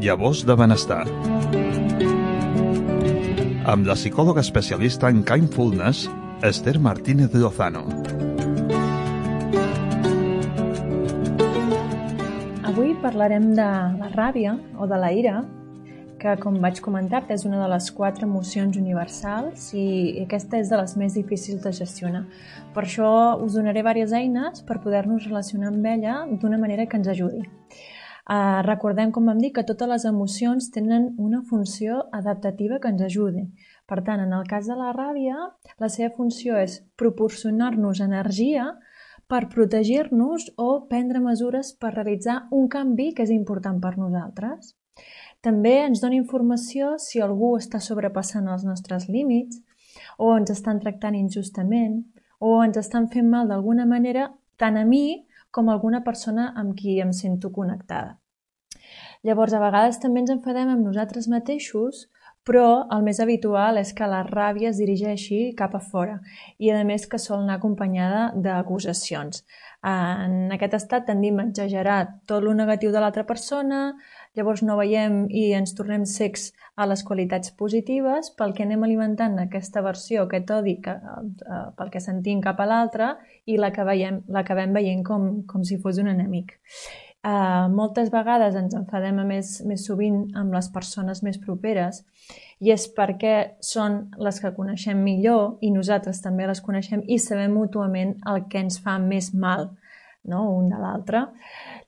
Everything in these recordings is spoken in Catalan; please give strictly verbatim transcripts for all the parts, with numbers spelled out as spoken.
Llavors de benestar. Amb la psicòloga especialista en Kindfulness, Esther Martínez Lozano. Avui parlarem de la ràbia o de la ira, que, com vaig comentar-te, és una de les quatre emocions universals i aquesta és de les més difícils de gestionar. Per això us donaré diverses eines per poder-nos relacionar amb ella d'una manera que ens ajudi. Uh, recordem, com vam dir, que totes les emocions tenen una funció adaptativa que ens ajudi. Per tant, en el cas de la ràbia, la seva funció és proporcionar-nos energia per protegir-nos o prendre mesures per realitzar un canvi que és important per nosaltres. També ens dona informació si algú està sobrepassant els nostres límits o ens estan tractant injustament o ens estan fent mal d'alguna manera tant a mi com a alguna persona amb qui em sento connectada. Llavors, a vegades també ens enfadem amb nosaltres mateixos, però el més habitual és que la ràbia es dirigeixi cap a fora i, a més, que sol anar acompanyada d'acusacions. En aquest estat tendim a exagerar tot el negatiu de l'altra persona, llavors no veiem i ens tornem cecs a les qualitats positives pel que anem alimentant aquesta versió, aquest odi que, eh, pel que sentim cap a l'altre i l'acabem veient com, com si fos un enemic. Uh, moltes vegades ens enfadem a més, més sovint amb les persones més properes i és perquè són les que coneixem millor i nosaltres també les coneixem i sabem mútuament el que ens fa més mal, no? Un de l'altre.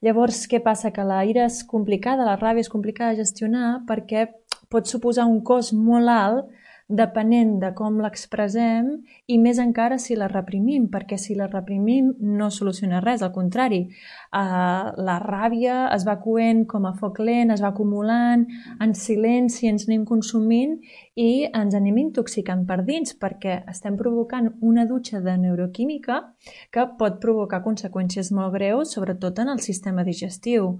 Llavors, què passa? Que la ira és complicada, la ràbia és complicada de gestionar perquè pot suposar un cost molt alt depenent de com l'expressem i més encara si la reprimim, perquè si la reprimim no soluciona res, al contrari. Uh, la ràbia es va coent com a foc lent, es va acumulant, en silenci ens anem consumint i ens anem intoxicant per dins, perquè estem provocant una dutxa de neuroquímica que pot provocar conseqüències molt greus, sobretot en el sistema digestiu.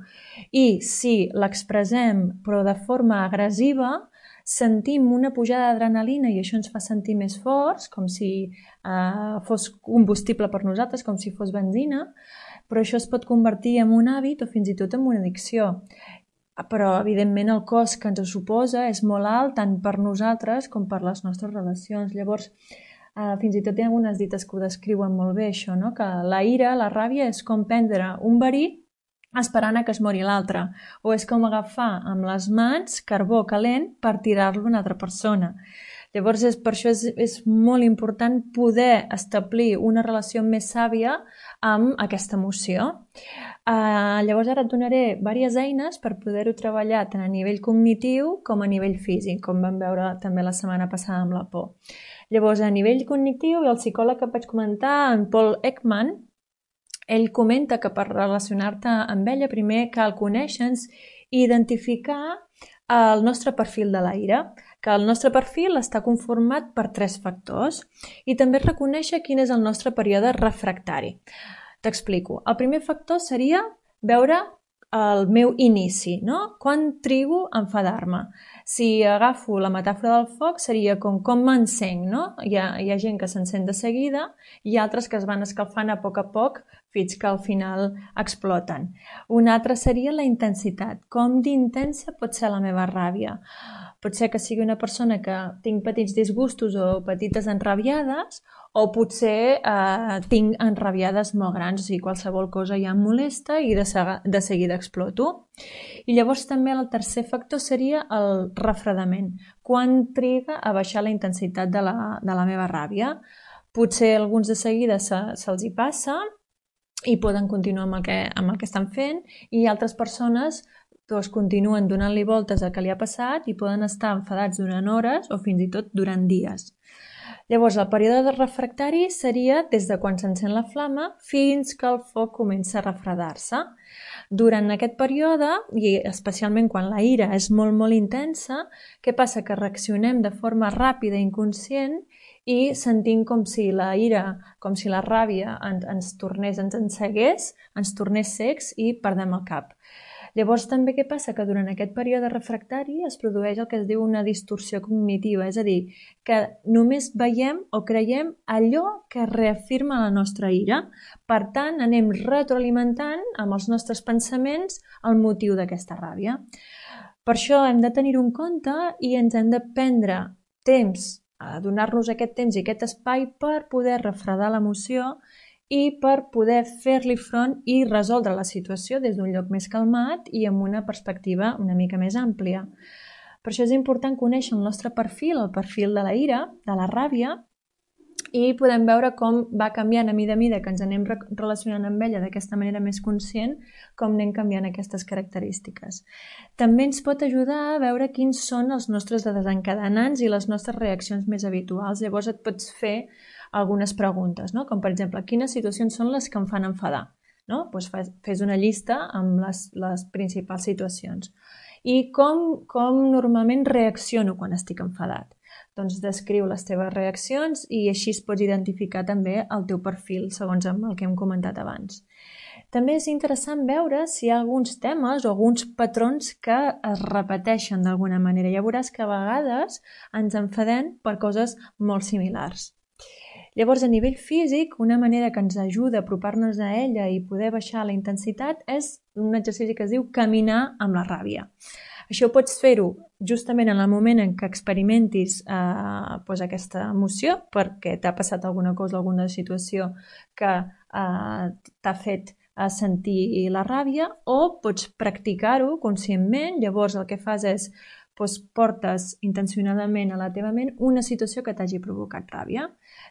I si l'expressem però de forma agressiva, sentim una pujada d'adrenalina i això ens fa sentir més forts, com si eh, fos combustible per nosaltres, com si fos benzina, però això es pot convertir en un hàbit o fins i tot en una addicció. Però, evidentment, el cost que ens suposa és molt alt tant per nosaltres com per les nostres relacions. Llavors, eh, fins i tot hi ha algunes dites que ho descriuen molt bé, això, no? Que la ira, la ràbia, és com prendre un verí esperant a que es mori l'altre, o és com agafar amb les mans carbó calent per tirar-lo a una altra persona. Llavors, és, per això és, és molt important poder establir una relació més sàvia amb aquesta emoció. Uh, llavors, ara et donaré diverses eines per poder-ho treballar tant a nivell cognitiu com a nivell físic, com vam veure també la setmana passada amb la por. Llavors, a nivell cognitiu, el psicòleg que vaig comentar, en Paul Ekman, ell comenta que per relacionar-te amb ella primer cal conèixer-nos i identificar el nostre perfil de la ira, que el nostre perfil està conformat per tres factors i també reconèixer quin és el nostre període refractari. T'explico. El primer factor seria veure el meu inici, no? Quan trigo a enfadar-me. Si agafo la metàfora del foc seria com com m'encenc, no? Hi ha, hi ha gent que s'encén de seguida i altres que es van escalfant a poc a poc fins que al final exploten. Una altra seria la intensitat. Com d'intensa pot ser la meva ràbia? Pot ser que sigui una persona que tinc petits disgustos o petites enrabiades o potser eh, tinc enrabiades molt grans, o sigui, qualsevol cosa ja em molesta i de, de seguida exploto. I llavors també el tercer factor seria el refredament. Quan triga a baixar la intensitat de la, de la meva ràbia? Potser alguns de seguida se, se'ls hi passa i poden continuar amb el que, amb el que estan fent i altres persones doncs, continuen donant-li voltes al que li ha passat i poden estar enfadats durant hores o fins i tot durant dies. Llavors, el període refractari seria des de quan s'encén la flama fins que el foc comença a refredar-se. Durant aquest període, i especialment quan la ira és molt, molt intensa, què passa? Que reaccionem de forma ràpida i inconscient i sentim com si la ira, com si la ràbia ens, ens tornés, ens encegués, ens tornés cecs i perdem el cap. Llavors també què passa? Que durant aquest període refractari es produeix el que es diu una distorsió cognitiva, és a dir, que només veiem o creiem allò que reafirma la nostra ira. Per tant, anem retroalimentant amb els nostres pensaments el motiu d'aquesta ràbia. Per això hem de tenir-ho en compte i ens hem de prendre temps, a donar-nos aquest temps i aquest espai per poder refredar l'emoció i per poder fer-li front i resoldre la situació des d'un lloc més calmat i amb una perspectiva una mica més àmplia. Per això és important conèixer el nostre perfil, el perfil de la ira, de la ràbia, i podem veure com va canviant a mida a mida que ens anem relacionant amb ella d'aquesta manera més conscient, com anem canviant aquestes característiques. També ens pot ajudar a veure quins són els nostres desencadenants i les nostres reaccions més habituals. Llavors et pots fer algunes preguntes, no? Com per exemple, quines situacions són les que em fan enfadar? No? Doncs fes una llista amb les, les principals situacions. I com, com normalment reacciono quan estic enfadat? Doncs descriu les teves reaccions i així es pots identificar també el teu perfil segons el que hem comentat abans. També és interessant veure si hi ha alguns temes o alguns patrons que es repeteixen d'alguna manera. Ja veuràs que a vegades ens enfadem per coses molt similars. Llavors, a nivell físic, una manera que ens ajuda a apropar-nos a ella i poder baixar la intensitat és un exercici que es diu caminar amb la ràbia. Això pots fer-ho justament en el moment en què experimentis eh, doncs aquesta emoció, perquè t'ha passat alguna cosa, alguna situació que eh, t'ha fet eh, sentir la ràbia, o pots practicar-ho conscientment. Llavors el que fas és doncs portes intencionadament a la teva ment una situació que t'hagi provocat ràbia.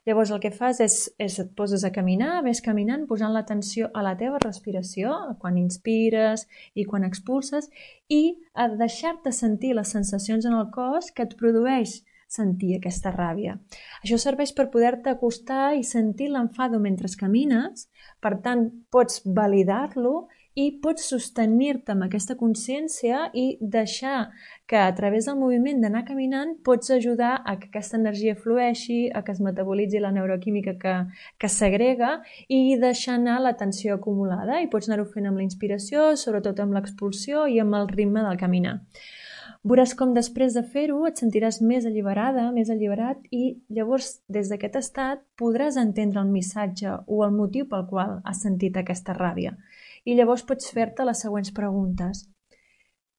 Llavors el que fas és, és et poses a caminar, ves caminant, posant l'atenció a la teva respiració, quan inspires i quan expulses, i a deixar-te sentir les sensacions en el cos que et produeix sentir aquesta ràbia. Això serveix per poder-te acostar i sentir l'enfado mentre camines, per tant pots validar-lo i pots sostenir-te amb aquesta consciència i deixar que a través del moviment d'anar caminant pots ajudar a que aquesta energia flueixi, a que es metabolitzi la neuroquímica que, que segrega i deixar anar la tensió acumulada. I pots anar-ho fent amb la inspiració, sobretot amb l'expulsió i amb el ritme del caminar. Veuràs com després de fer-ho et sentiràs més alliberada, més alliberat, i llavors des d'aquest estat podràs entendre el missatge o el motiu pel qual has sentit aquesta ràbia. I llavors pots fer-te les següents preguntes.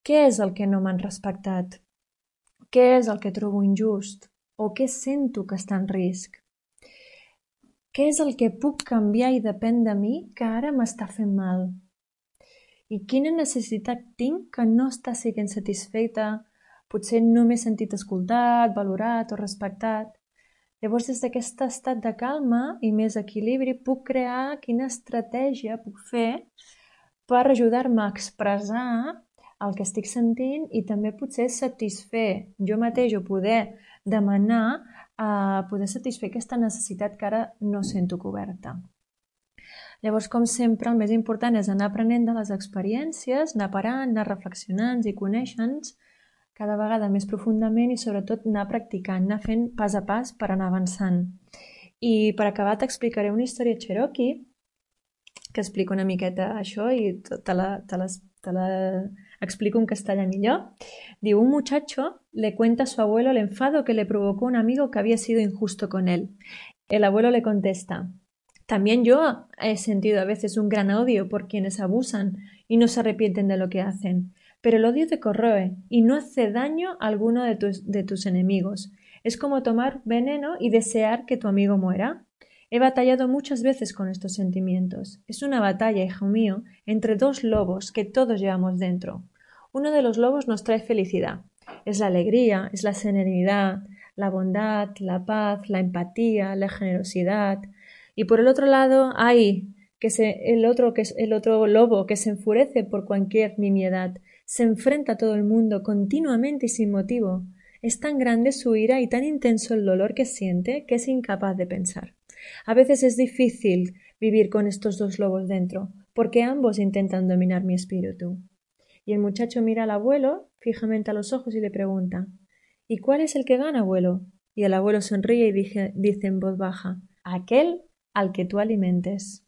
Què és el que no m'han respectat? Què és el que trobo injust? O què sento que està en risc? Què és el que puc canviar i depèn de mi que ara m'està fent mal? I quina necessitat tinc que no està sent satisfeta? Potser no m'he sentit escoltat, valorat o respectat. Llavors, des d'aquest estat de calma i més equilibri, puc crear quina estratègia puc fer per ajudar-me a expressar el que estic sentint i també potser satisfer jo mateix o poder demanar a poder satisfer aquesta necessitat que ara no sento coberta. Llavors, com sempre, el més important és anar aprenent de les experiències, anar parant, anar reflexionant i conèixer-nos cada vegada més profundament i sobretot anar practicant, anar fent pas a pas per anar avançant. I per acabar t'explicaré una història cherokee que explica una miqueta això i te la, te la, te la explico en castellà millor. Diu, un muchacho le cuenta a su abuelo el enfado que le provocó un amigo que había sido injusto con él. El abuelo le contesta, también yo he sentido a veces un gran odio por quienes abusan y no se arrepienten de lo que hacen, pero el odio te corroe y no hace daño a alguno de tus, de tus enemigos. Es como tomar veneno y desear que tu amigo muera. He batallado muchas veces con estos sentimientos. Es una batalla, hijo mío, entre dos lobos que todos llevamos dentro. Uno de los lobos nos trae felicidad. Es la alegría, es la serenidad, la bondad, la paz, la empatía, la generosidad. Y por el otro lado, hay que se, el, otro, que es el otro lobo que se enfurece por cualquier nimiedad. Se enfrenta a todo el mundo continuamente y sin motivo. Es tan grande su ira y tan intenso el dolor que siente que es incapaz de pensar. A veces es difícil vivir con estos dos lobos dentro, porque ambos intentan dominar mi espíritu. Y el muchacho mira al abuelo fijamente a los ojos y le pregunta, ¿y cuál es el que gana, abuelo? Y el abuelo sonríe y dice, dice en voz baja, aquel al que tú alimentes.